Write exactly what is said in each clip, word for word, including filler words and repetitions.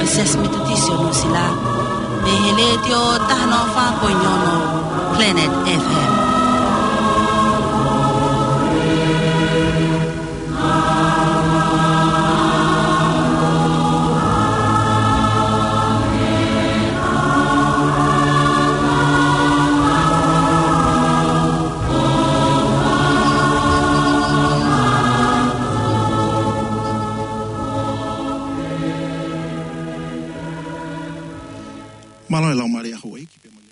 Siasi Metotisi ʻo Nuʻusila, mei he Letiō taha noa fā poini ono Planet F M. Mālō e lau mālie ʻa houʻeiki pea mo e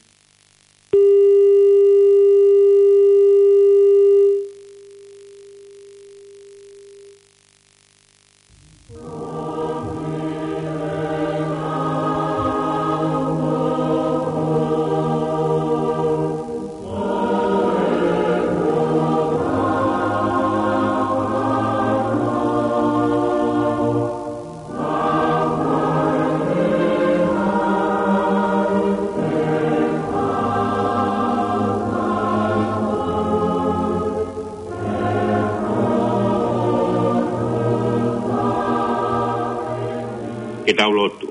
Ke tau lotu.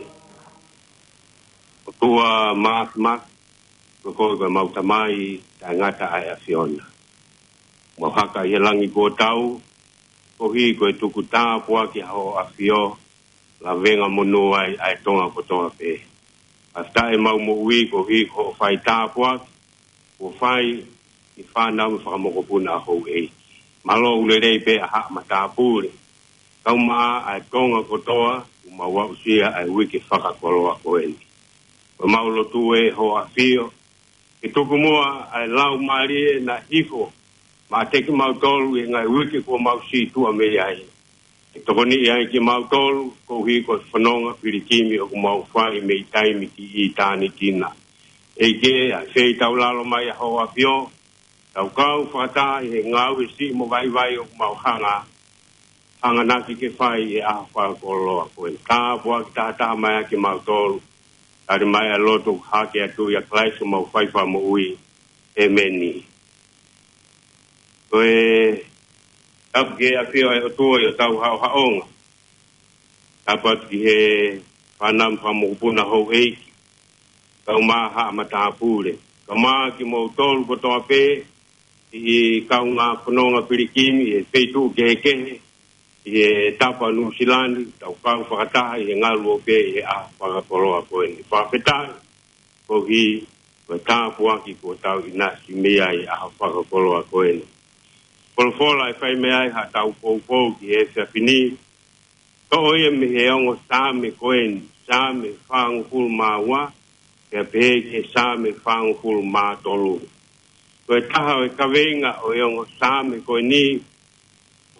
ʻOtua Māfimafi, ko koe ko ʻemau Tamai taʻengata ʻa e ʻAfiona. Mau haka ʻi he langi kuo tau, koeʻuhi ko e tuku tāpuaki ʻa hoʻo ʻAfio, lavenga monū ai ʻa e Tonga kotoa pē. Fakafetaʻi ʻemau moʻui koeʻuhi ko hoʻo fai tāpuaki kuo fai ki he fānau mo e fakamokopuna ʻa houʻeiki. Mālō ʻoku lelei pē ʻa haʻa matāpule, kae ʻumaʻā ʻa e Tonga kotoa kuo mau aʻusia ʻa e uike fakakoloa ko eni. Ko ʻemau lotu ē hoʻo ʻAfio, ke tuku muʻa ʻa e laumālie naʻe hifo maʻa kimautolu ʻi he ngaahi uike kuo mau sītuʻa mei ai. Ke tokoniʻi ai kimautolu, koeʻuhi ko e fononga pilikimi ʻoku mau fai mei taimi ki ʻitāniti na. ʻEiki, ʻa e feitaulalo mai ʻa hoʻo ʻAfio, tau kau fakataha ʻi he ngāue siʻi mo vaivai ʻoku mau hanga hanganaki ke fai ʻi he ʻaho fakakoloa ko eni. Tāpuaki tahataha mai ʻa kimautolu. Tali mai ʻa e lotu hake atu ʻia Kalaisi ko homau faifakamoʻui. ʻEmeni. Ko e tapu ki he ʻAfio ʻa e ʻOtua ʻi hotau haʻohaʻonga. Tapu atu ki he fānau mo e fakamokopuna ʻa houʻeiki, kae ʻumaʻā haʻa matāpule, kae ʻumaʻā kimoutolu kotoa pē ʻi he kaungā fononga pilikimi ʻi he feituʻu kehekehe ʻi he tapa Nuʻusila ni, tau kau fakataha ʻi he ngaluope ʻi he ʻaho fakakoloa ko eni. Fakafetaʻi koeʻuhi ko e tāpuaki kuo tau ʻinasi mei ai ʻi he ʻaho fakakoloa ko eni. Folofola ʻe fai mei ai haʻatau poupou ki he efiafi ni, toʻo ia mei he ongo Saame ko eni, Saame fāngofulu mā ua, pea pehē ki he Saame fāngofulu mā tolu. Ko e taha ʻo e kaveinga ʻo e ongo Saame ko eni,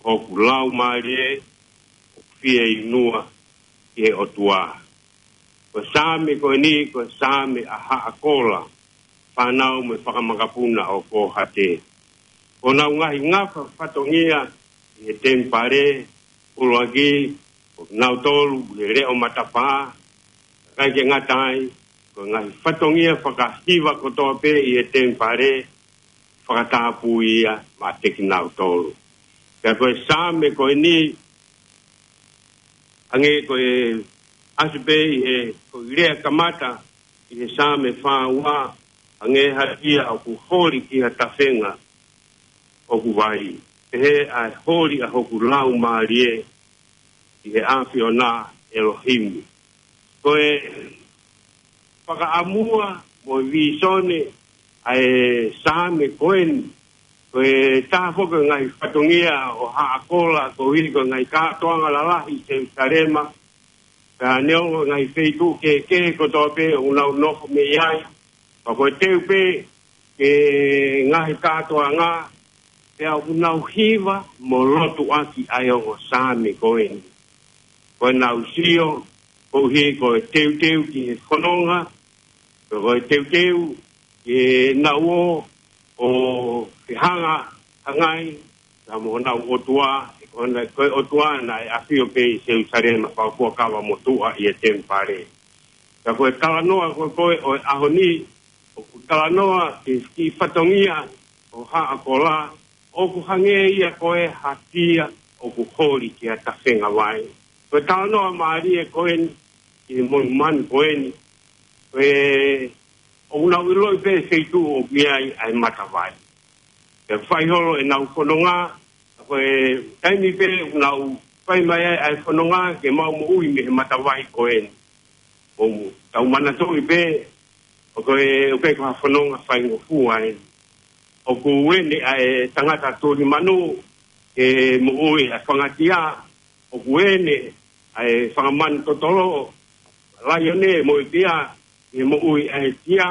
hoku laumālie ʻoku fieinua ki he ʻOtua. Ko e Saame ko eni, ko e Saame ʻa Haʻa Kola, fānau mo e fakamakapuna ʻo Kōhate. Ko honau ngaahi ngafa fatongia ʻi he temipale, ʻuluaki, ko kinautolu ʻi he leʻo matapā, kae ʻikai ke ngata ai, ko e ngaahi fatongia fakahiva kotoa pē ʻi he temipale, fakatapui ia maʻa kinautolu. Pea ko e Saame ko eni, hangē ko e ʻasi pē ʻi he, ko e lea kamata ʻi he Saame fā ua, hangē ha sia ʻoku holi ki ha tafenga ʻoku vai, pehē ʻa e holi ʻa hoku laumālie ʻi he ʻAfiona ʻElohimi. Ko e fakaʻamua mo e vīsone ʻa e Saame ko eni, ko e taha foki ʻo e ngaahi fatongia ʻo Haʻa Kola, koeʻuhi ko e ngaahi kātoanga lalahi ʻi Selusalema, pea neongo e ngaahi feituʻu kehekehe kotoa pē ʻoku nau nofo mei ai, pea ko e teu pē ki he ngaahi kātoanga, pea ʻoku nau hiva mo lotu ʻaki ʻa e ongo Saame ko eni. Ko ʻenau sio, koeʻuhi ko e teuteu ki he fononga, ko e teuteu ki heʻenau ō ʻo fehangahangai pea mo honau ʻOtua, ʻe ko hona, ko e ʻOtua naʻe ʻafio pē ʻi Selusalema, fakafuakava motuʻa ʻi he temipale. Ka ko e talanoa ko ē ko ē ʻo e ʻaho ni, ʻoku talanoa ki he kiʻi fatongia ʻo Haʻa Kola, ʻoku hangē ia ko e ha sia ʻoku holi ki ha tafenga vai. Ko e talanoa mālie ko eni, ki he monumanu ko eni. Ko e, ʻoku nau ʻiloʻi pē feituʻu ʻoku ʻi ai ʻa e matavai. Pea fai holo ʻenau fononga, ko e taimi pē ʻoku nau fai mai ai ʻa e fononga ke maʻu moʻui mei he matavai ko eni. ʻOku tau manatuʻi pē, ʻoku ʻikai ko ha fononga faingofua eni. ʻOku ʻi ai ʻa e tangata tuli manu ke moʻui ʻa e fangatia, ʻoku ʻi ai ʻa e fanga manu totolo, laione mo e tia, ke moʻui ʻa e tia.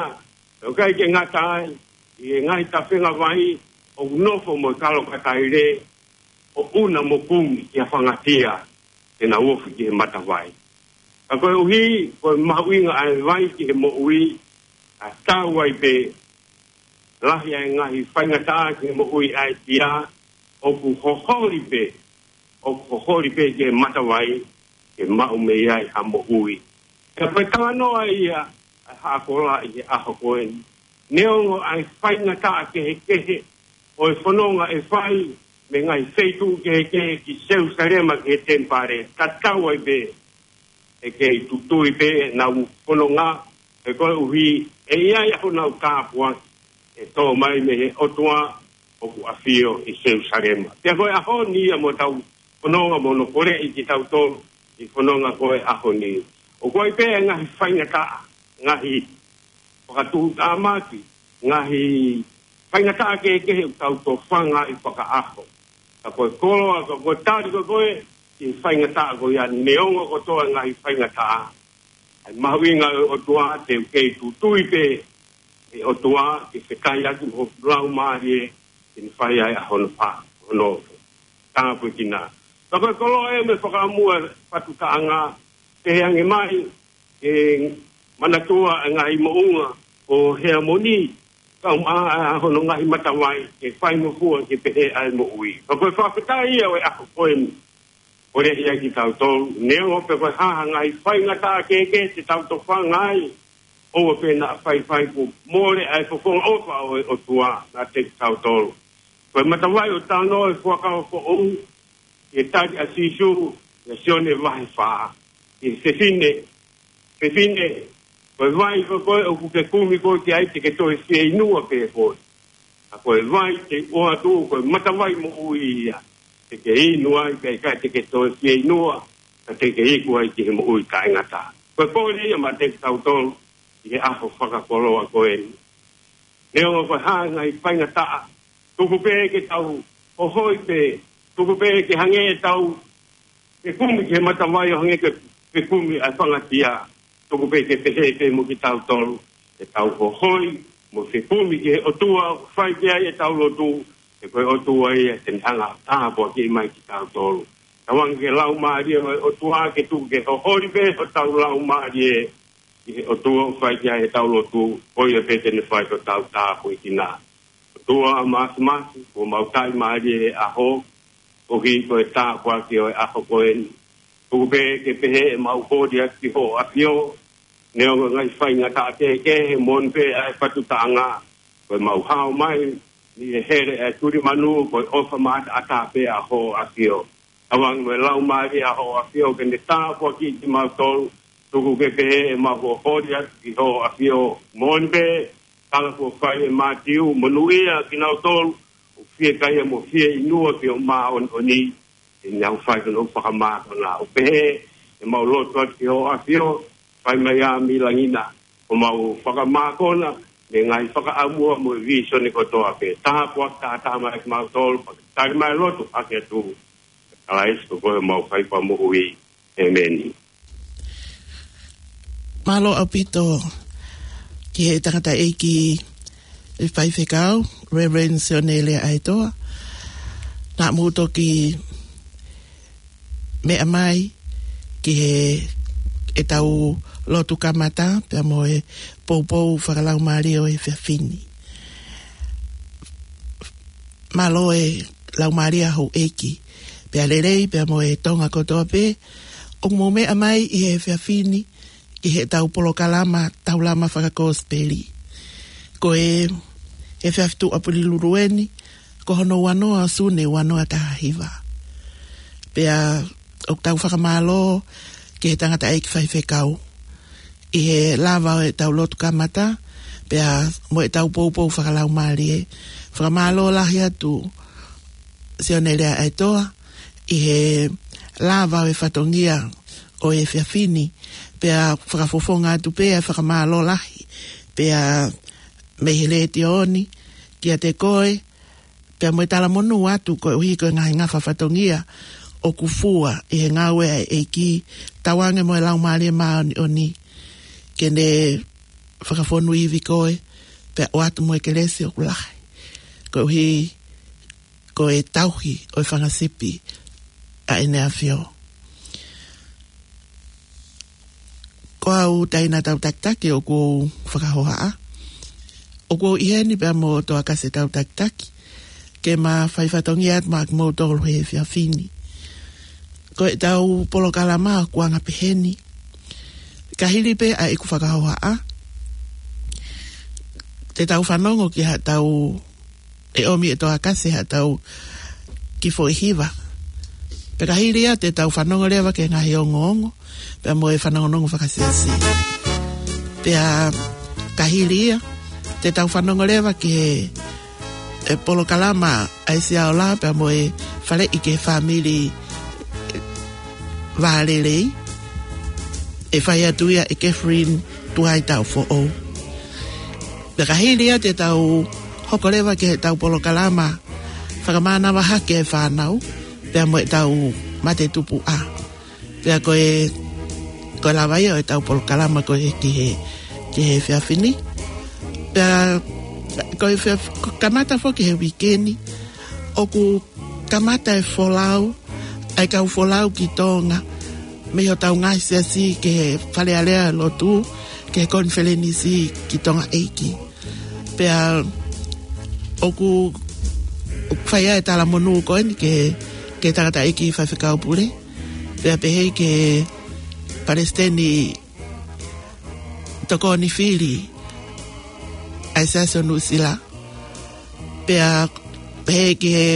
ʻOku ʻikai ke ngata ai, ʻi he ngaahi tafenga vai, ʻoku nofo mo e kalo kataile, ʻo ʻuna mo kumi ki ha fangatia, te nau ofi ki he matavai. Ka koeʻuhi, ko e mahuʻinga ʻa e vai ki he moʻui, ʻa tau ai pē, lahi ʻa e ngaahi faingataʻa ki he moʻui ʻa e tia, ʻoku hoholi pē, ʻoku hoholi pē ki he matavai, ke maʻu mei ai ha moʻui. Ka ko e talanoa ia, ʻa e haʻa kola ʻi he ʻaho ko eni. Neongo ʻa e faingataʻa kehekehe, ʻo e fononga ʻe fai, mei he ngaahi feituʻu kehekehe ki Selusalema ki he temipale, tatau ai pē, ʻe kei tutui pē ʻenau fononga, he koeʻuhi, ʻe ʻi ai ʻa honau tāpuaki, ʻe tō mai mei he ʻOtua, ʻoku ʻafio ʻi Selusalema. Pea ko e ʻaho ni ia mo tau fononga mo hono koleʻi kitautolu, ʻi he fononga ko e ʻaho ni. ʻOku ʻi ai pē ngaahi faingataʻa, ngaahi fakatuʻutāmaki, ngaahi faingataʻa kehekehe ʻoku tau tofanga ʻi fakaʻaho. Ka ko e koloa, ka ko e tali ko ē, ʻi he faingataʻa ko ia neongo kotoa ngaahi faingataʻa. ʻA e mahuʻinga ʻo e ʻOtua te u kei tutui pē, ʻe ʻOtua, ke fekai atu ho laumālie, ke ne fai ai ʻa hono pa, hono tāpuekina. Ka ko e koloa ē mo e fakaʻamu ʻa e fatu taʻanga, te he ange mai, ke manatua ʻa e ngaahi moʻunga ʻo Heamoni, ka um a, a hono ngaahi matavai, ke faingofua ke pehē ʻa e moʻui. Ka ko e fakafetaʻi ia ʻo e ʻaho ko eni. Koleʻi ai kitautolu, neongo pe ko e hā ha ngaahi faingataʻa kehekehe te tau tofanga ai, ʻoua pē naʻa faifai kuo mole ʻa e fofonga ʻofa ʻo e ʻOtua naʻa te kitautolu. Ko e matavai ʻoku talanoa ʻi he Fuakava Foʻou, ʻi he tali ʻa Sīsū, ʻia Sione vahe fā, ʻi he fefine, fefine, ko e vai ko ē ʻoku ke kumi koe ki ai te ke toe fieinua pē koe. Ka ko e vai te u ʻoatu, ko e matavai moʻui ia. Te ke inu ai, pea ʻikai te ke toe fieinua, ka te ke iku ai ki he moʻui taʻengata. Ko e pole ia maʻa kitautolu, ʻi he ʻaho fakakoloa ko eni. Neongo ko e hā e ngaahi faingataʻa, tuku pē ke tau hohoi pē, tuku pē ke hangē ʻetau fekumi ki he matavai ʻo hangē ko e fekumi ʻa e fangatia. Tuku pē ke pehē pē mo kitautolu, ke tau hohoi, mo fekumi ki he ʻOtua, fai ki ai ʻetau lotu, he ko e ʻOtua ia te ne hanga ʻo tāpuakiʻi mai kitautolu. Tauange ki he Laumālie ʻo e ʻOtua ke tuku ke hoholi pē hotau laumālie, ki he ʻOtua ʻoku fai ki ai ʻetau lotu, ko ia pē te ne fai ki hotau tāpuekina. ʻOtua Māfimafi, ʻoku mau tali mālie he ʻaho, ʻoku ʻi ai ko e tāpuaki ʻo e ʻaho ko eni. Tuku pē ke pehē ʻemau holi atu ki hoʻo ʻafio, neongo ngaahi faingataʻa kehekehe, moʻoni pē ʻa e fatu taʻanga, ko ʻemau hao mai, ni e hele ʻa e tuli manu, ko e ʻofa maʻataʻatā pē ʻa hoʻo ʻafio. Tauange mo e Laumālie ʻa hoʻo ʻafio ke ne tāpuakiʻi kimautolu, tuku ke pehē ʻemau holi atu ki hoʻo ʻafio, moʻoni pē, tala kuo fai ʻe Mātiu, monūʻia kinautolu ʻoku fiekaia mo fieinua ki hoʻo māʻoniʻoni, he ʻe nau fai ki hono fakamākona. ʻOku pehē ʻemau lotu atu ki hoʻo ʻafio, fai mai ā mei langi na, ʻo mau fakamākona, mei he ngaahi fakaʻamua mo e vīsone kotoa pē. Tāpuaki taha taha mai kimautolu, pea tali mai lotu, ʻoatu atu. Kalaisi ko koe homau fakamoʻui. ʻĒmeni. Mālō ʻaupito ki he tangataʻeiki faifekau, Reverend Sione Leaʻaetoa. Naʻa mou toki meʻa mai ki he ʻetau lotu kamata, pea mo e poupou fakalaumālie ʻo e efiafi ni. Mālō e laumālie ʻa houʻeiki, pea lelei, pea mo e Tonga kotoa pē, ʻoku mou meʻa mai ʻi he efiafi ni, ki heʻetau polokalama Taulama Fakakosipeli. Ko e efiafi Tuʻapulelulu eni, ko hono ua noa ʻo Sune ua noa taha hiva. Pea ʻoku tau fakamālō ki he tangataʻeiki faifekau, ʻi he lava ʻo ʻetau lotu kamata, pea mo ʻetau poupou fakalaumālie. Fakamālō lahi atu, Sione Leaʻaetoa, ʻi he lava ʻo e fatongia ʻo e efiafi ni, pea fakafofonga atu pē ʻa e fakamālō lahi, pea mei he letiō ni, kiate koe, pea mo e talamonū atu koeʻuhi ko e ngaahi ngafa fatongia ʻoku fua ʻi he ngāue ʻa e ʻEiki, tauange mo e Laumālie Māʻoniʻoni, ke ne fakafonu ivi koe, pea ʻoatu mo e kelesi ʻoku lahi, koeʻuhi ko e tauhi ʻo e fanga sipi ʻa ʻEne ʻAfio. Ko au, Taina Tautakitaki, ʻoku ou fakahohaʻa. ʻOku ou ʻi heni pea mo Toakase Tautakitaki, ke ma fai fatongia atu maʻa kimoutolu he efiafi ni. Ko ʻetau polokalama ʻoku anga peheni. Ka hili pē ʻa ʻeku fakahohaʻa, te tau fanongo ki haʻatau, ʻe ʻomi ʻe Toakase haʻatau kiʻi foʻi hiva. Pea ka hili ia te tau fanongo leva ki he ngaahi ongoongo, pea mo e fanongonongo fakasiasi. Pea ka hili ia te tau fanongo leva ki he, e polokalama ʻa e Siaola pea mo e Faleʻi ki he Fāmili Vālelei, ʻe fai atu ia ʻe Catherine Tuaitaʻofoʻou. Pea ka hili ia te tau hoko leva ki heʻetau polokalama fakamānava hake e fānau, pea mo ʻetau mate tupuʻa. Pea ko e, ko e lava ia ʻo ʻetau polokalama ko e ki he, ki he efiafi ni. Pea ko e fia-, ko e kamata foki he uike ni, ʻoku kamata e folau ʻa e kau folau ki Tonga mei hotau ngaahi siasi ki he Fale Alea Lotu, ki he konifelenisi ki Tonga ʻEiki. Pea ʻoku, ʻoku fai ai e talamonū ko eni ki he, ki he tangataʻeiki faifekau pule, pea pehē ki he palesiteni tokoni fili ʻa e Siasi ʻo Nuʻusila, pea pehē ki he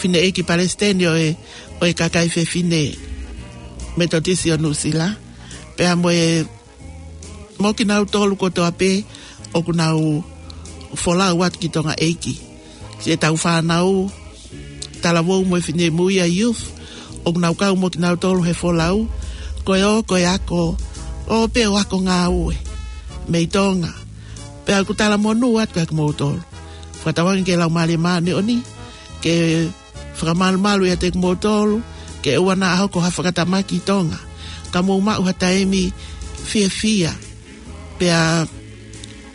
fineʻeiki palesiteni ʻo e, ʻo e kakai fefine Metotisi ʻo Nuʻusila, pea mo e, mo kinautolu kotoa pē ʻoku nau folau atu ki Tonga ʻEiki. Siʻetau fānau talavou mo e finemui ʻa e youth, ʻoku nau kau mo kinautolu he folau, ko e ō, ko e ako, ō pē ʻo ako ngāue mei Tonga. Pea ʻoku talamonū atu kiate kimoutolu. Fakatauange ki he Laumālie Māʻoniʻoni ke fakamalumalu ʻiate kimoutolu, ke ʻoua naʻa hoko ha fakatamaki ʻi Tonga, ka mou maʻu ha taimi fiefia, pea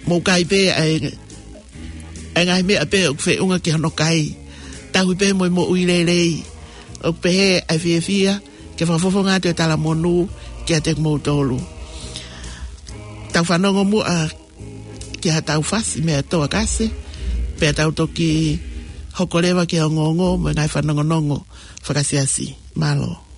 mou kai pē ʻa e, ʻa e ngaahi meʻa pē ʻoku feʻunga ki hono kai, tauhi pē mo e moʻui lelei. ʻOku pehē ʻa e fiefia ke fakafofonga atu e talamonū kiate kimoutolu. Tau fanongo muʻa ki haʻatau fasi meia Toakase, pea tau toki hoko leva ki he ongoongo mo e ngaahi fanongonongo fakasiasi. Mālō.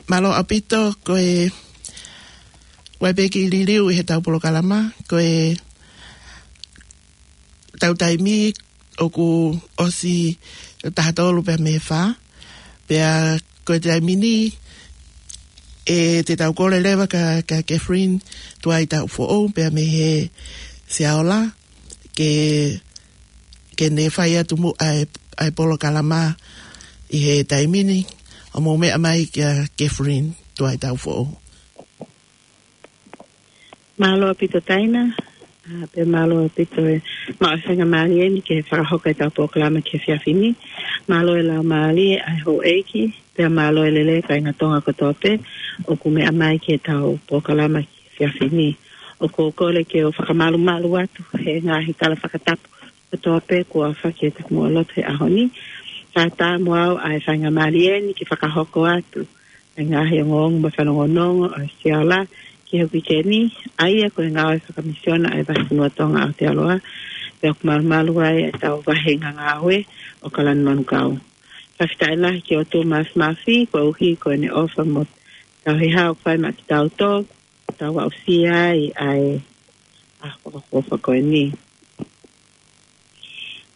Mālō ʻaupito, ko e ʻoku ʻi ai pē kiʻi liliu ʻi heʻetau polokalama, ko ʻetau taimi ʻoku ʻosi taha tolu pea mei he fā. Pea ko e taimi ni, ʻe te tau kole leva kia, kia Catherine Tuaitaufoʻou pea mei he Siaola, ke, ke ne fai atu muʻa e, ʻa e polokalama ʻi he taimi ni, ʻo mou meʻa mai kia Catherine Tuaitaufoʻou. Mālō ʻaupito Taina, ā, pea mālō ʻaupito e maʻu faingamālie ni ke fakahoko ʻetau polokalama ki he efiafi ni. Mālō e laumālie ʻa e houʻeiki, pea mālō e lelei kāinga Tonga kotoa pē ʻoku meʻa mai ki heʻetau polokalama ki he efiafi ni. ʻOku ou kole ke u fakamalumalu atu he ngaahi tala fakatapu kotoa pē kuo aofaki ʻetau moʻua lotu he ʻaho ni. Kae ʻatā mo au ʻa e faingamālie ni ke fakahoko atu ʻa e ngaahi ongoongo mo e fanongonongo ʻa e Siaola ki he uike ni, ʻa ia ko e ngāue fakamisiona ʻa e Vahefonua Tonga ʻAotearoa, pea ʻoku malumalu ai ʻetau vahenga ngāue ʻo Kalani Manukau. Fakafetaʻi lahi ki he ʻOtua Māfimafi, koeʻuhi ko ʻene ʻofa mo e tauhi ʻoku fai maʻa kitautolu, tau aʻusia ai ʻa e ʻaho fakaʻofoʻofa ko eni.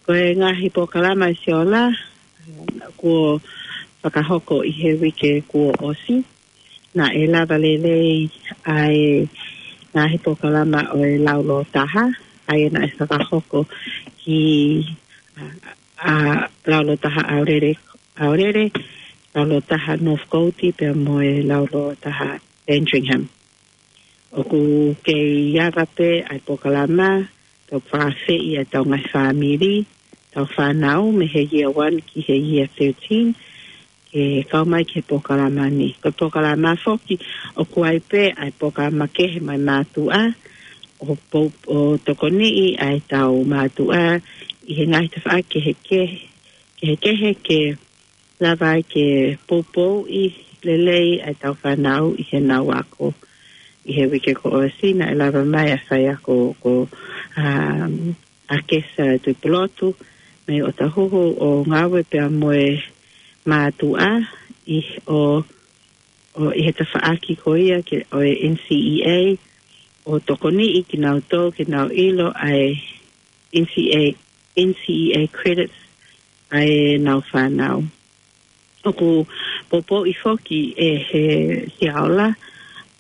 Ko e ngaahi polokalama ʻa e Siaola, kuo fakahoko ʻi he uike kuo ʻosi, naʻe lava lelei ʻa e ngaahi polokalama ʻo e Laulōtaha, ʻa ia naʻe fakahoko ki, ā, ā, Laulōtaha ʻAulele, ʻAulele, Laulōtaha Northcote, pea mo e Laulōtaha Sandringham. ʻOku kei ava pē ʻa e polokalama, tau fakaafeʻi ʻa ʻetau ngaahi fāmili, ʻetau fānau, mei he year one ki he year thirteen, ke kau mai ki he polokalama ni. Ko e polokalama foki, ʻoku ʻi ai pē ʻa e polokalama kehe maʻa e mātuʻa, ʻo pou-, ʻo tokoniʻi ʻa ʻetau mātuʻa ʻi he ngaahi tafaʻaki kehekehe, kehekehe ke lava ai ke poupouʻi lelei ʻa ʻetau fānau ʻi heʻenau ako. ʻI he uike kuo ʻosi naʻe lava mai ʻa e faiako ko, um, ʻa Kesa Tuʻipulotu mei ʻOtahuhu ʻo ngāue pea mo e mātuʻa ʻi, ʻo, ʻo ʻi he tafaʻaki ko ia ke, ʻo e N C E A, ʻo tokoniʻi kinautolu ke nau ʻilo ʻa e N C E A, N C E A credits ʻa ʻenau fānau. ʻOku poupouʻi foki ʻe he Siaola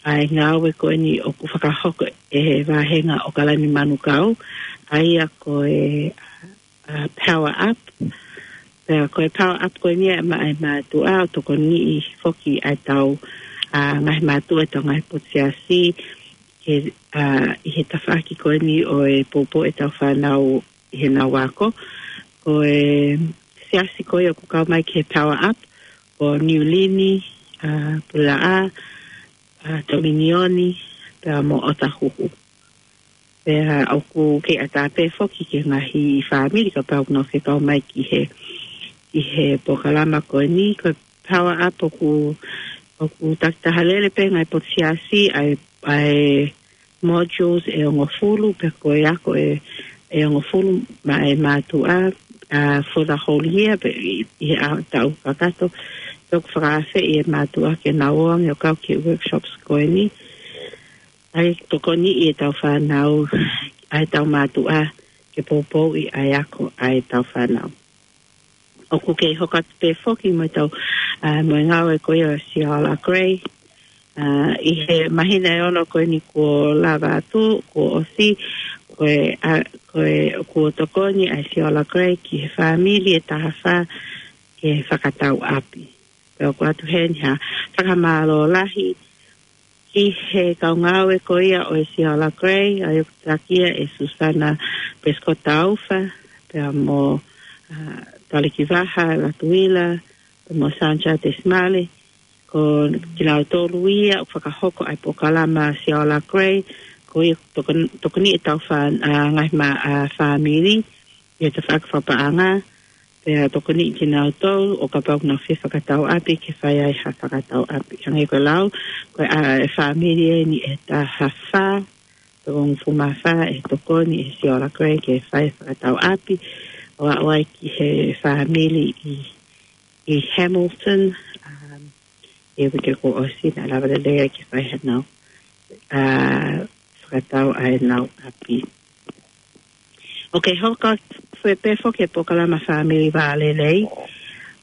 ʻa e ngāue ko eni ʻoku fakahoko ʻe he vāhenga ʻo Kalani Manukau, ʻa ia ko e, ā, Power Up. Pea ko e Power Up ko eni ʻa e mā-, ʻa e mātuʻa ʻo tokoniʻi foki ʻa ʻetau, ā, ngaahi mātuʻa ʻetau ngaahi potu siasi, ke, ā, ʻi he tafaʻaki ko eni ʻo e poupou ʻetau fānau ʻi heʻenau ako. Ko e siasi ko ia ʻoku kau mai ki he Power Up, ko Niulini, ā, Pulelaʻa, ā, Tominioni, pea mo ʻOtahuhu. Pea ʻoku kei ʻatā pē foki ki he ngaahi fāmili kapau ʻoku nau fie kau mai ki he, ki he polokalama ko eni, ko e Power Up ʻoku, ʻoku takitaha lele pē ngaahi potu siasi ʻa e, ʻa e modules ʻe hongofulu, pe ko e ako ʻe, ʻe hongofulu maʻa e mātuʻa, ā, for the whole year, pe ʻi, ʻi he ʻaho, taʻu kakato, pea ʻoku fakaafeʻi e mātuʻa ke nau ō ange ʻo kau ki he workshops ko eni. ʻA ia tokoniʻi ʻetau fānau, ʻa ʻetau mātuʻa, ke poupouʻi ʻa e ako ʻa ʻetau fānau. ʻOku kei hoko atu pē foki mo ʻetau, ā, mo e ngāue ko ia ʻo e Siaola Gray. Ā, ʻi he māhina ʻe ono ko eni kuo lava atu, kuo ʻosi, ko e, ā, ko e, kuo tokoni ʻa e Siaola Gray ki he fāmili ʻe taha fā ke fakatau ʻapi. Pea ʻoku ʻoatu heni ha fakamālō lahi ki he kau ngāue ko ia ʻo e Siaola Gray, ʻa ia ʻoku takia ʻe Susana Prescott Taufa, pea mo, ā, Taliki Vaha Latuila, pea mo Sanja Tesmale, ko kinautolu ia ʻoku fakahoko ʻa e polokalama Siaola Gray, ko ia tokon-, tokoni ʻetau fā-, ā, ngaahi mā-, ā, fāmili, ʻi he tafaʻaki fakapaʻanga, pea tokoniʻi kinautolu ʻo kapau ʻoku nau fie fakatau ʻapi ke fai ai ha fakatau ʻapi. Hangē ko e lau, ko e, ā, e fāmili eni ʻe taha fā, pe ko e hongofulu mā fā ʻe tokoni ʻe he Siaola Gray ke fai fakatau ʻapi, ʻo aʻu ai ki he fāmili ʻi, ʻi Hamilton, um, ʻi he uike kuo ʻosi, naʻe lava lelei ai ke fai haʻanau, ā, fakatau ʻa ʻenau ʻapi. ʻOku hoko atu pē foki e polokalama Fāmili Vā Lelei,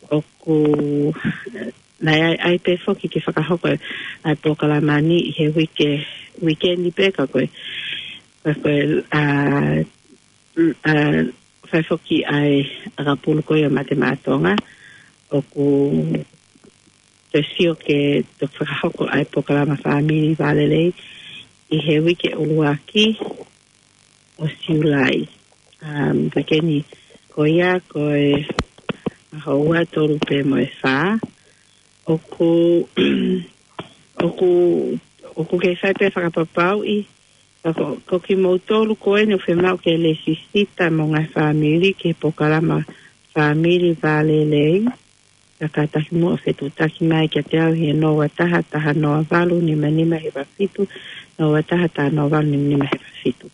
ʻoku, naʻe ʻai, ʻai pē foki ke fakahoko ʻa e polokalama ni ʻi he uike, uike ni pē ka ko e, ka ko e, ā, ā, fai foki ʻa e ʻakapulu ko ia ʻo Mate Maʻa Tonga, ʻoku toe sio ke toe fakahoko ʻa e polokalama Fāmili Vā Lelei ʻi he uike ʻuluaki ʻo Siulai. Um, uike ni ko ia ko e ʻaho ua, tolu pea mo e fā. ʻOku, ʻoku, ʻoku kei fai pē fakapapauʻi, ka ko, ko kimoutolu ko eni ʻoku fiemaʻu ke lēsisita mo e ngaahi fāmili ki he polokalama Fāmili Vā Lelei, ka kātaki muʻa ʻo fetuʻutaki mai kiate au ʻi he noa ua taha, taha noa valu, nima nima hiva fitu, noa ua taha, taha noa valu, nima nima hiva fitu.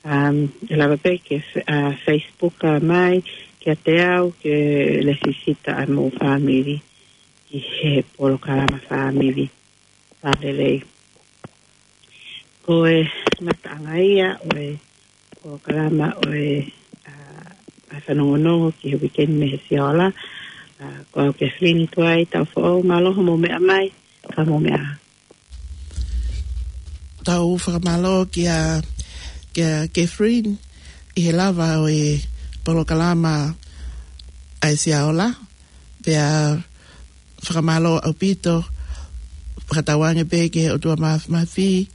Um, ʻe lava pē ke fe-, ā, Facebook, ā, mai kiate au ke lēsisita ʻa hoʻomou fāmili ki he polokalama Fāmili Vā Lelei. Ko e ngataʻanga ia ʻo e polokalama ʻo e, ā, ʻa e fanongonongo ki he uike ni mei he Sia Ola. Ā, ko au Kathleen Tuai Taufoʻou, mālō hoʻomou meʻa mai, ka mou meʻa. Tau fakamālō kia, kia Kathleen ʻi he lava ʻo e polokalama ʻa e Sia Ola. Pea fakamālō ʻaupito, fakatauange pē ki he ʻOtua Māfimafi,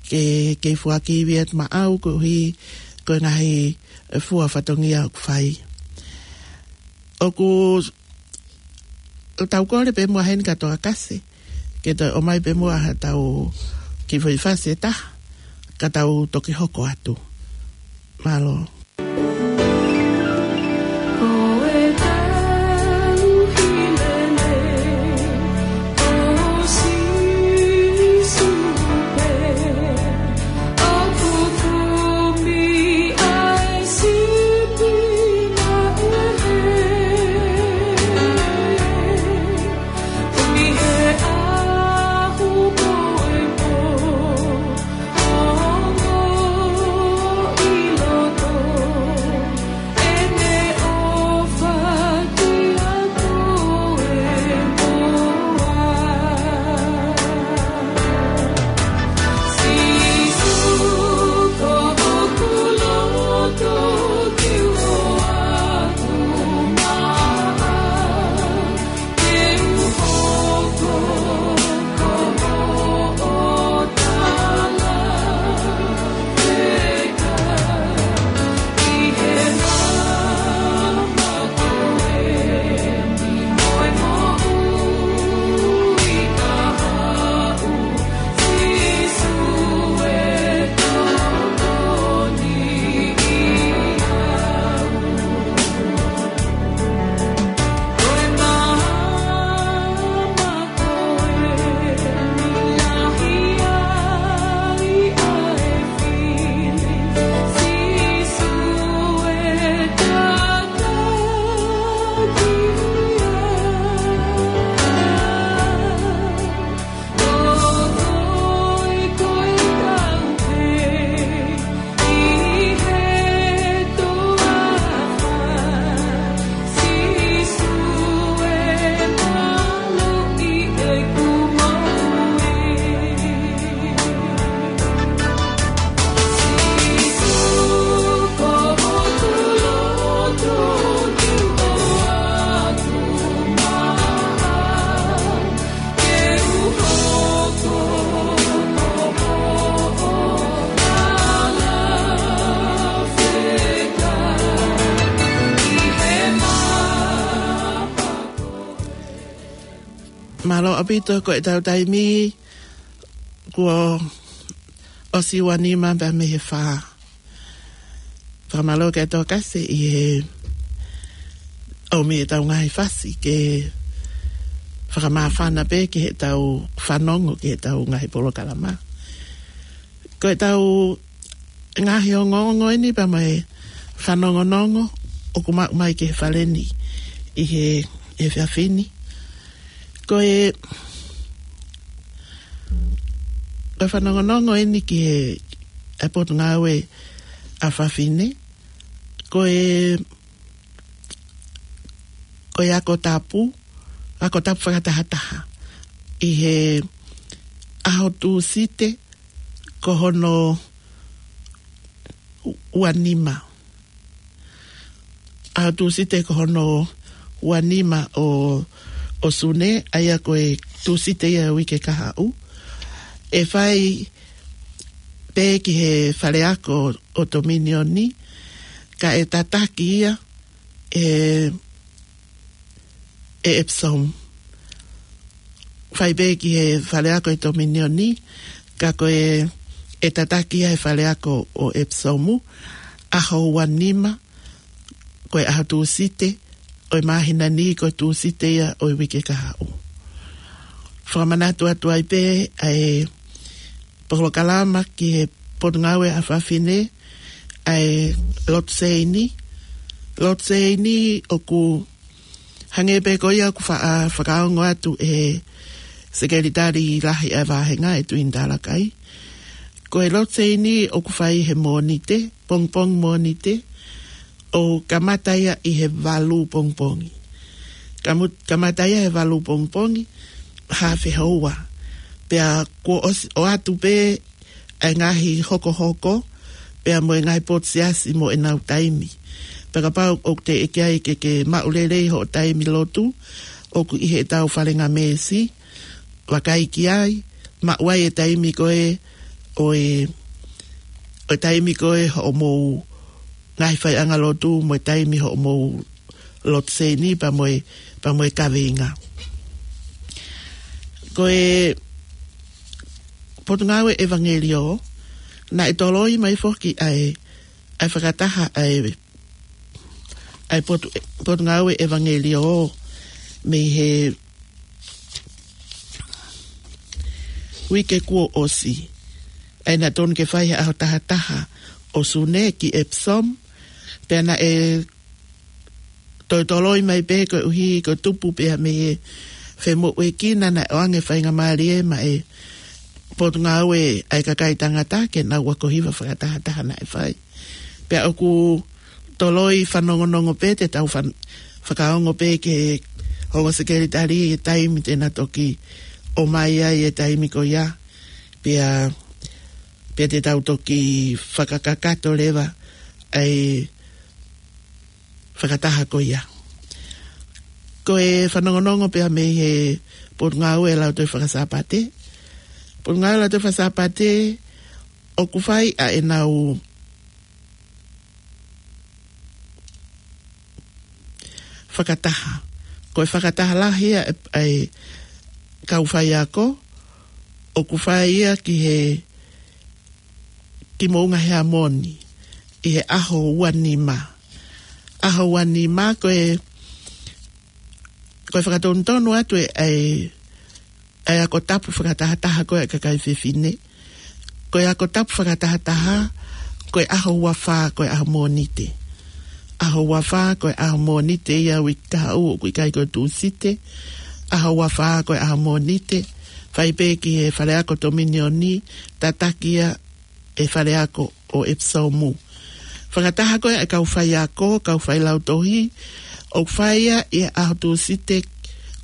ke, ke foaki ivi atu maʻau koeʻuhi ko e ngaahi fua fatongia ʻoku fai. ʻOku tau kole pē muʻa heni kia Toa Kasi ke toe ʻomai pē muʻa haʻatau kiʻi foʻi fasi ʻe taha, ka tau toki hoko atu. Mālō. Mālō ʻaupito, ko ʻetau taimi kuo ʻosi ua nima pea mei he fā. Fakamālō kia Toa Kasi ʻi he ʻomi ʻetau ngaahi fasi ke fakamāfana pē ki heʻetau fanongo ki heʻetau ngaahi polokalama. Ko ʻetau ngaahi ongoongo eni pea mo e fanongonongo ʻoku maʻu mai ki he fale ni ʻi he, he efiafi ni. Ko e Ko e fanongonongo eni ki he, ʻa e Potungāue ʻa Fafine, ko e, ko e ako tapu, ako tapu fakatahataha. ʻI he ʻaho Tūsite, ko hono ua nima. ʻAho Tūsite ko hono ua nima ʻo, ʻo Sune, ʻa ia ko e Tūsite ia ʻo e uike kahaʻu. ʻE fai pē ki he faleako ʻo Tominioni, ka ʻe tataki ia ʻe, ʻe Epsom. Fai pē ki he faleako ʻo Tominioni, ka ko e, ʻe tataki ia he faleako ʻo Epsom, ʻaho ua nima, ko e ʻaho Tūsite ʻo e māhina ni, ko e Tūsite ia ʻo e uike kahaʻu. Fakamanatu atu ai pē ʻa e polokalama ki he Potungāue ʻa Fafine, ʻa e lotu seini. Lotu seini ʻoku hangē pē ko ia ʻoku fa-, ʻa, fakaongo atu ʻe he Sekelitali Lahi ʻa e Vāhenga, ʻe Tuini Talakai. Ko e lotu seini ʻoku fai he Mōnite, pongipongi Mōnite, ʻo kamata ia ʻi he valu pongipongi. Kamu-, kamata ia he valu pongipongi, haafe houa. Pea kuo ʻosi, ʻoatu pē ʻa e ngaahi hokohoko, pea mo e ngaahi potu siasi mo ʻenau taimi. Pea kapau ʻoku teʻeki ai ke ke maʻu lelei hoʻo taimi lotu, ʻoku ʻi heʻetau falengamesi, vakai ki ai, maʻu ai e taimi ko ē ʻo e, ʻo e taimi ko ē hoʻomou ngaahi faiʻanga lotu mo e taimi hoʻomou lotu seini pea mo e, pea mo e kaveinga. Ko e Potungāue ʻEvangeliō, naʻe toloi mai foki ʻa e, ʻa e fakataha ʻa e, ʻa e potu, Potungāue ʻEvangeliō mei he uike kuo ʻosi. ʻA ia naʻe tonu ke fai he ʻaho taha taha ʻo Sune ki Epsom, pea naʻe toe toloi mai pē koeʻuhi ko e tupu pea mei he femoʻuekina naʻe ʻoange faingamālie maʻa e Potungāue ʻa e Kakai Tangata ke nau ako hiva fakatahataha naʻe fai. Pea ʻoku toloi fanongonongo pē te tau fan-, fakaongo pē ki he ongo sekelitali e taimi te na toki ʻomai ai e taimi ko ia. Pea, pea te tau toki fakakakato leva ʻa e fakataha ko ia. Ko e fanongonongo pea mei he Potungāue Lautohi Fakasāpate. Potungāue Lautohi Fakasāpate ʻoku fai ʻa ʻenau fakataha. Ko e fakataha lahi ia ʻa e, ʻa e kau faiako, ʻoku fai ia ki he, ki Moʻunga Heamoni, ʻi he ʻaho ua nima. ʻAho ua nima ko e, ko e fakatonutonu atu e, ʻa e, ʻa e ako tapu fakatahataha ko ē ʻa e kakai fefine. Ko e ako tapu fakatahataha, ko e ʻaho ua fā, ko e ʻaho Mōnite. ʻAho ua fā, ko e ʻaho Mōnite ia uike kahaʻu, ʻoku ʻikai ko e Tūsite. ʻAho ua fā, ko e ʻaho Mōnite. Fai pē ki he faleako Tominioni, tataki ia ʻe faleako ʻo Epsom. Fakataha ko ē ʻa e kau faiako, kau failautohi, ʻoku fai ia ʻi he ʻaho Tūsite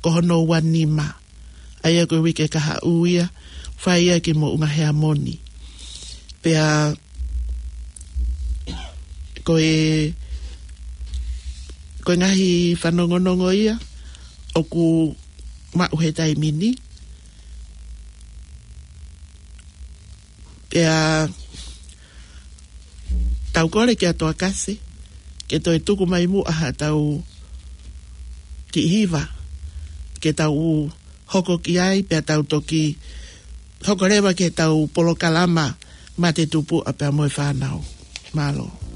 ko hono ua nima. ʻA ia ko e uike kahaʻu ia, fai ia ki Moʻunga Heamoni. Pea ko e, ko e ngaahi fanongonongo ia ʻoku maʻu he taimi ni. Pea tau kole kia Toakase ke toe tuku mai muʻa haʻatau kiʻi hiva ke tau hoko ki ai, pea tau toki hoko leva ki heʻetau polokalama Mate Tupuʻa pea mo e Fānau. Mālō.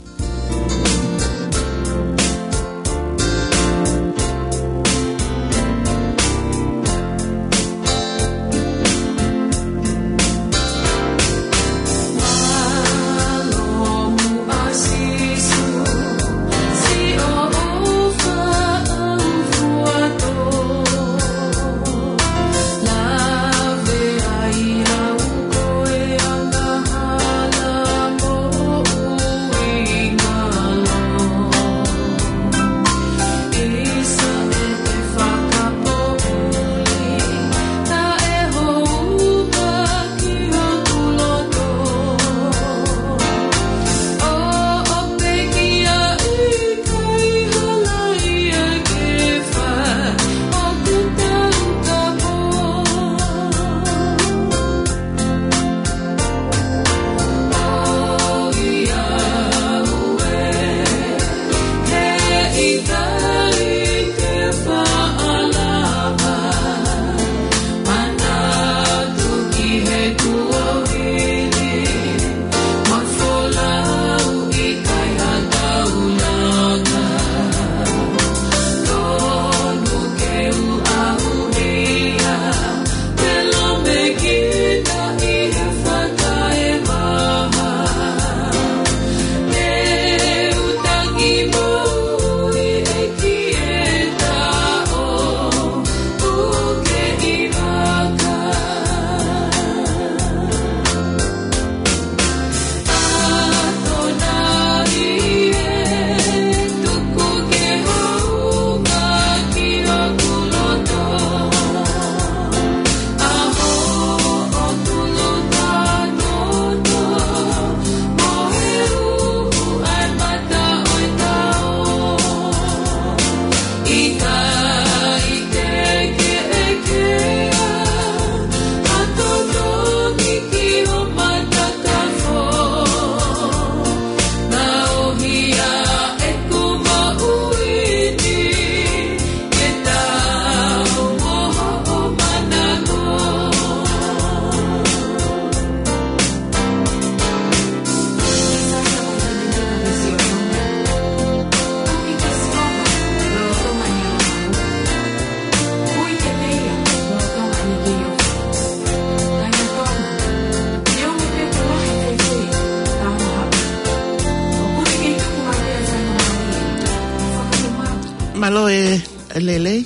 Mālō e lelei.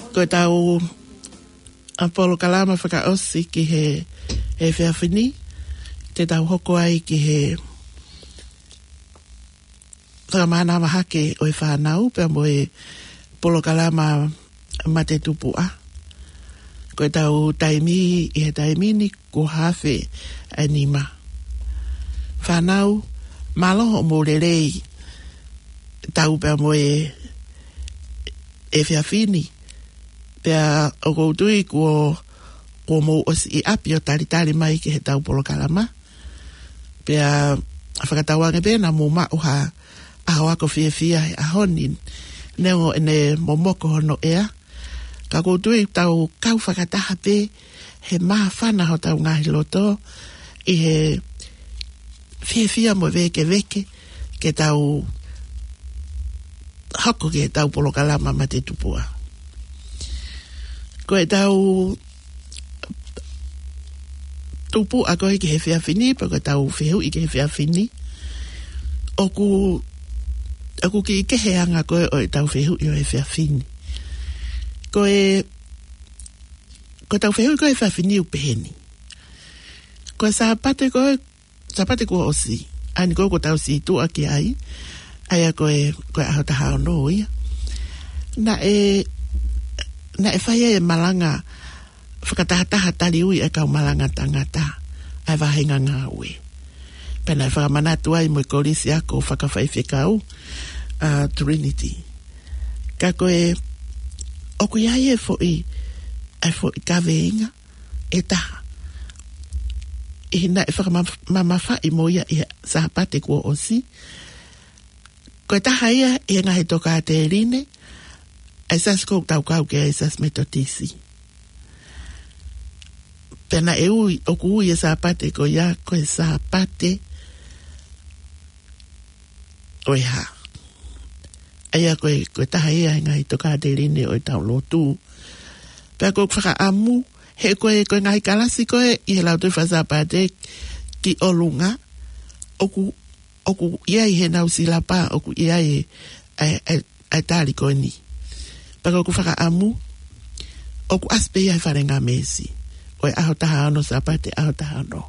Ko ʻetau ʻa polokalama fakaʻosi ki he, he efiafi ni, te tau hoko ai ki he fakamānava hake ʻo e fānau, pea mo e polokalama Mate Tupuʻa. Ko ʻetau taimi ʻi he taimi ni, kuo hafe ʻa e nima. Fānau, mālō hoʻomou lelei tau pea mo e efiafi ni. Pea ʻoku ou tui kuo, kuo mou ʻosi ʻi ʻapi ʻo talitali mai ki heʻetau polokalama. Pea fakatauange pē naʻa mou maʻu ha ʻaho ako fiefia he ʻaho ni, neongo ʻene momoko hono ʻea. Ka ʻoku ou tui tau kau fakataha pē he māfana hotau ngaahi loto ʻi he fiefia mo vēkeveke ke tau hoko ki heʻetau polokalama Mate Tupuʻa. Ko ʻetau tupuʻa ko ē ki he efiafi ni, pe ko ʻetau fehuʻi ki he efiafi ni, ʻoku, ʻoku kiʻi kehe ʻa e anga ko ē ʻo ʻetau fehuʻi ʻo e efiafi ni. Ko e, ko ʻetau fehuʻi ko ē he efiafi ni ʻoku pehē ni. Ko e Sāpate ko ē, Sāpate kuo ʻosi, ʻa eni ko ē kuo tau sītuʻa ki ai, ʻa ia ko e, ko e ʻaho taha ono ia. Naʻe, naʻe fai ai e malanga fakatahataha taliui ʻa e kau malanga tangata ʻa e vāhenga ngāue. Pea naʻe fakamanatu ai mo e Kolisi Ako Fakafaifekau, ʻa Trinity. Ka ko e, ʻoku ʻi ai e foʻi, ʻa e foʻi kaveinga ʻe taha ʻi he naʻe fakamamafaʻi mo ia ʻi he Sāpate kuo ʻosi. Ko e taha ia ʻi he ngaahi tokāteline ʻa e siasi ʻoku tau kau ki ai, siasi Metotisi. Pea naʻe ui, ʻoku ui e Sāpate ko ia ko e Sāpate ʻo e hā. ʻA ia ko e, ko e taha ia he ngaahi tokāteline ʻo ʻetau lotu. Pea ʻoku ou fakaʻamu, he ko e, ko e ngaahi kalasi ko ē ʻi he Lautohi Faka-Sāpate ki ʻolunga, ʻoku, ʻoku ʻi ai heʻenau silapa, ʻoku ʻi ai e, ʻa e, ʻa e, ʻa e tali ko eni. Pea ʻoku ou fakaʻamu, ʻoku ʻasi pē ia he fale ngamesi ʻo e ʻaho taha ono, Sāpate ʻaho taha ono.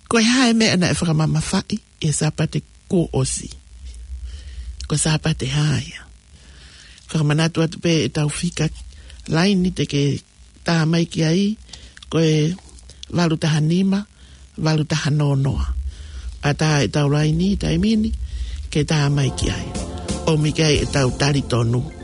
Ko e hā e meʻa naʻe fakamamafaʻi ʻi he Sāpate kuo ʻosi? Ko e Sāpate hā ia? Fakamanatu atu pē ʻetau fika laini te ke tā mai ki ai, ko e valu taha nima, valu taha noa noa. ʻAtā ʻetau laini taimi ni ke tā mai ki ai, ʻomi ki ai ʻetau talitonu.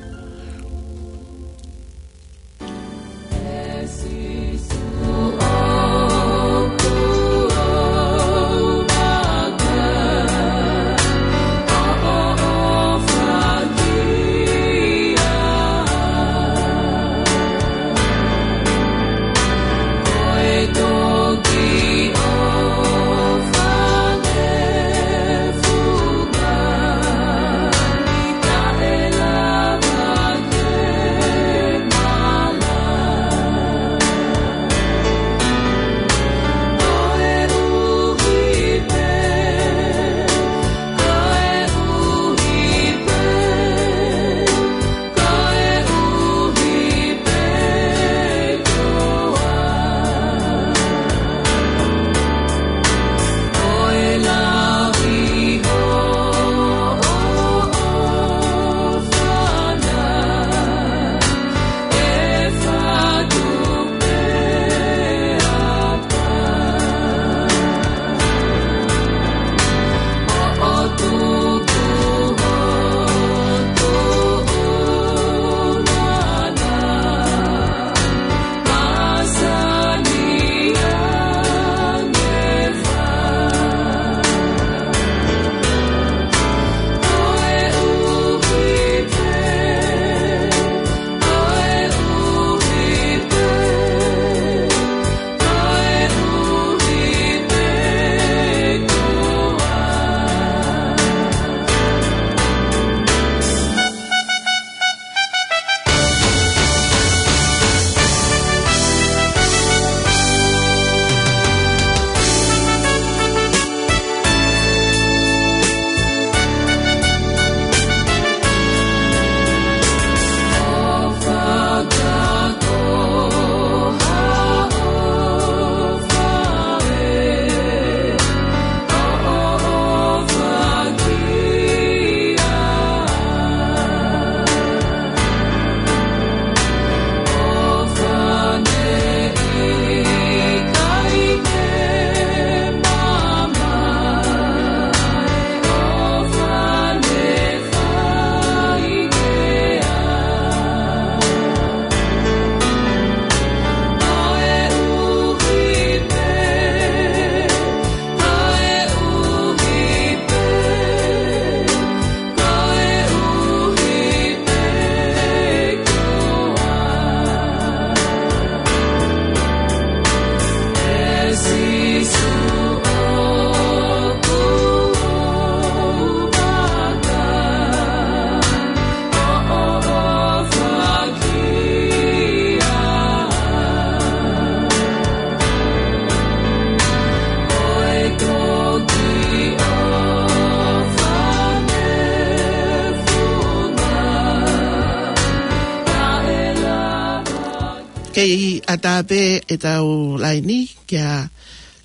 Kei ʻatā pē ʻetau laini kia,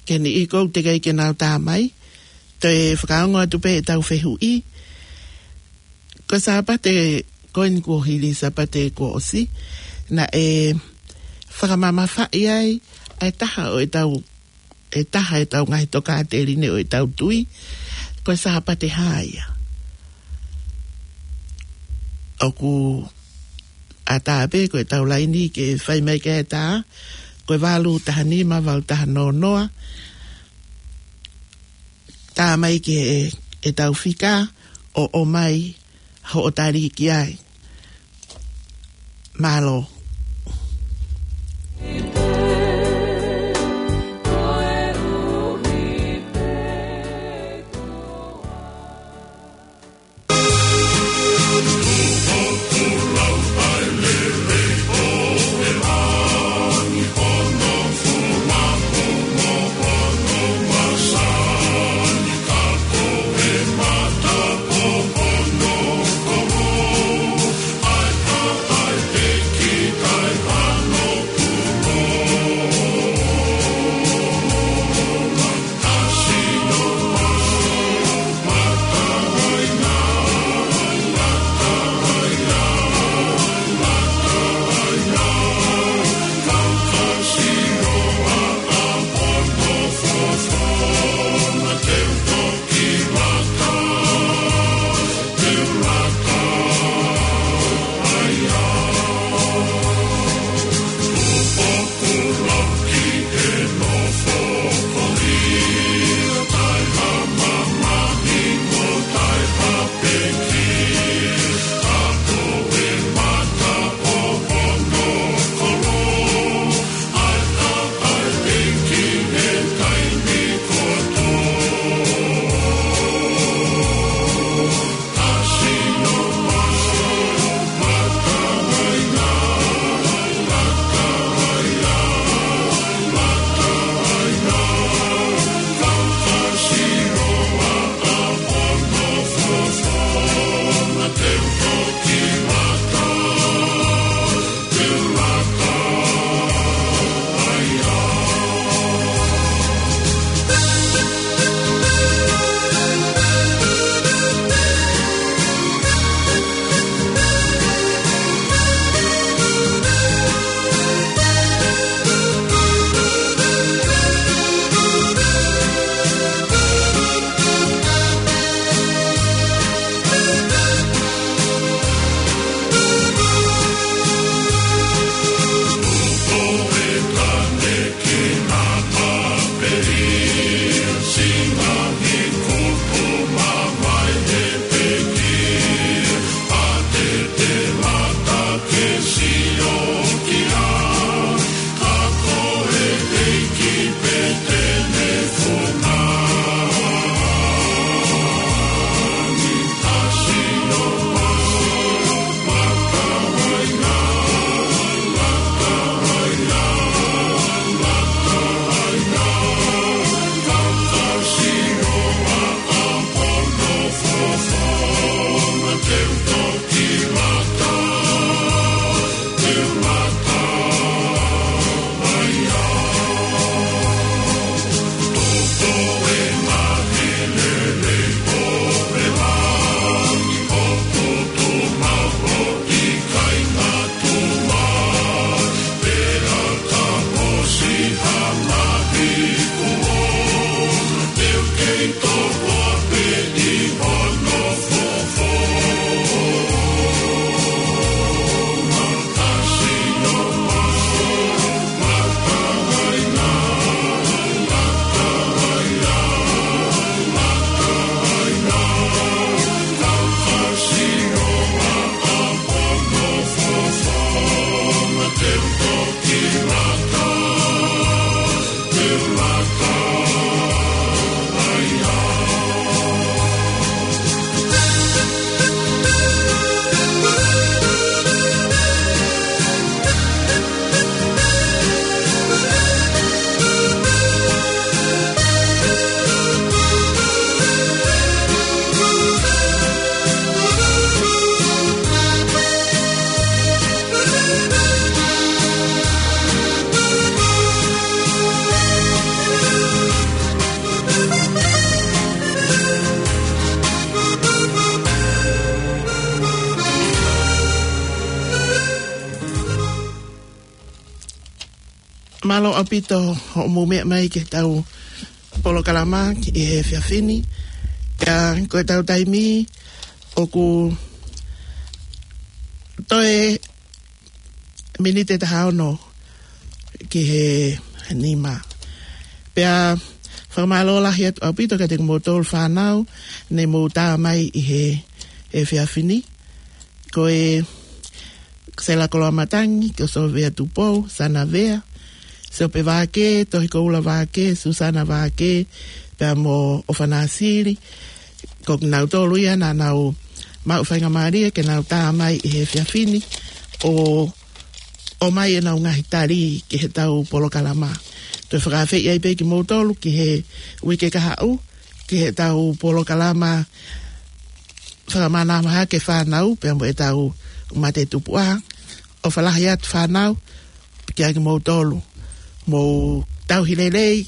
ke ni ʻi ʻoku teʻeki ai ke nau tā mai. Toe fakaongo atu pē ʻetau fehuʻi. Ko e Sāpate ko eni kuo hili, Sāpate kuo ʻosi, naʻe fakamamafaʻi ai ʻa e taha ʻo ʻetau, ʻe taha ʻetau ngaahi tokāteline ʻo ʻetau tui, ko e Sāpate Hā ia. ʻOku ʻatā pē ko ʻetau laini ke fai mai ki ai ʻa e tā, ko e valu taha nima, valu taha noa noa, tā mai ki he, ʻetau fika ʻo ʻomai hoʻo tali ki ai. Mālō. Mālō ʻaupito hoʻomou meʻa mai ki heʻetau polokalama ʻi he efiafi ni. Pea ko ʻetau taimi ʻoku toe miniti ʻe taha ono ki he nima. Pea fakamālō lahi atu ʻaupito kiate kimoutolu fānau ne mou tā mai ʻi he efiafi ni. Ko e Sela Koloamatangi, ko Sovea Tupou, Sana Vea, Siope Vāke, Tohi Koula Vāke, Susana Vāke, pea mo ʻOfana Sili. Ko kinautolu ia naʻa nau maʻu faingamālie ke nau tā mai ʻi he efiafi ni ʻo ʻomai ʻenau ngaahi tali ki heʻetau polokalama. Toe fakaafeʻi ai pē kimoutolu ki he uike kahaʻu ki heʻetau polokalama fakamanava hake fānau pea mo ʻetau mate tupuʻa. ʻOfa lahi atu fānau kiate kimoutolu, mou tauhi lelei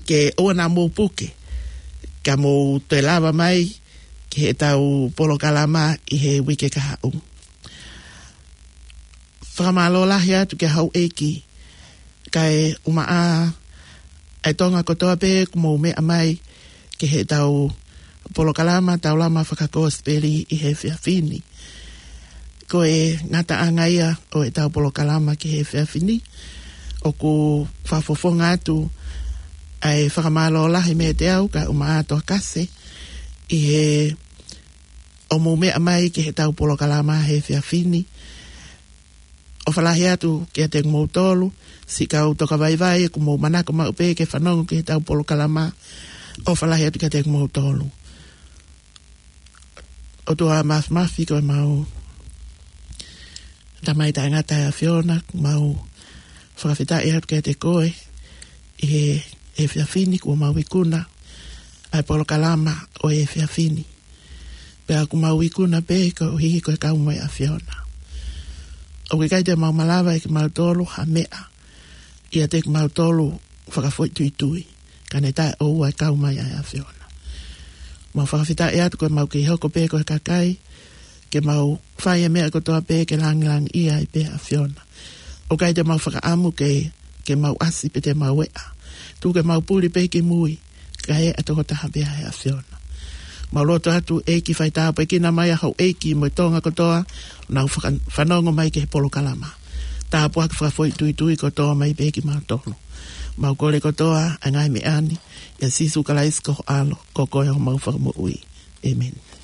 ke ʻoua naʻa mou puke, ka mou toe lava mai ki heʻetau polokalama ʻi he uike kahaʻu. Fakamālō lahi atu ki he houʻeiki, kae ʻumaʻā ʻa e Tonga kotoa pē ʻoku mou meʻa mai ki heʻetau polokalama Taulama Fakakosipeli ʻi he efiafi ni. Ko e ngataʻanga ia ʻo ʻetau polokalama ki he efiafi ni. ʻOku fakafofonga atu ʻa e fakamālō lahi meiate au kae ʻumaʻā Toa Kase ʻi he ʻoku mou meʻa mai ki heʻetau polokalama he efiafi ni. ʻOfa lahi atu kiate kimoutolu siʻi kau tokavaivai ʻoku mou manako maʻu pē ke fanongo ki heʻetau polokalama. ʻOfa lahi atu kiate kimoutolu. ʻOtua Māfimafi, ko ʻemau Tamai taʻengata ʻa e ʻAfiona, mau fakafetaʻi atu kiate koe ʻi he efiafi ni kuo mau ikuna ʻa e polokalama ʻo e efiafi ni. Pea ʻoku mau ikuna pē koeʻuhi ko e kau mai ʻa e ʻAfiona. ʻOku ʻikai te mau malava ʻe kimautolu ha meʻa ʻiate kimautolu fakafoʻituitui, ka ne taʻeʻoua e kau mai ʻa e ʻAfiona. Mau fakafetaʻi atu ko ʻemau kei hoko pē ko e kakai ke mau fai e meʻa kotoa pē ke langilangiʻia ai pē ʻa e ʻAfiona. ʻOku ʻikai te mau fakaʻamu ke, ke mau ʻasi pe te mau eʻa. Tuku ke mau puli pē ki mui, kae ʻa e tokotaha pē ʻa e ʻAfiona. Mau lotu atu ʻEiki fai tāpuekina mai ʻa houʻeiki mo e Tonga kotoa ʻoku nau faka-, fanongo mai ki he polokalama. Tāpuaki fakafoʻituitui kotoa mai pē kimautolu. Mau kole kotoa ʻa e ngaahi meʻa ni ʻia Sīsū Kalaisi ko ho ʻAlo, ko koe homau Fakamoʻui. ʻĒmeni.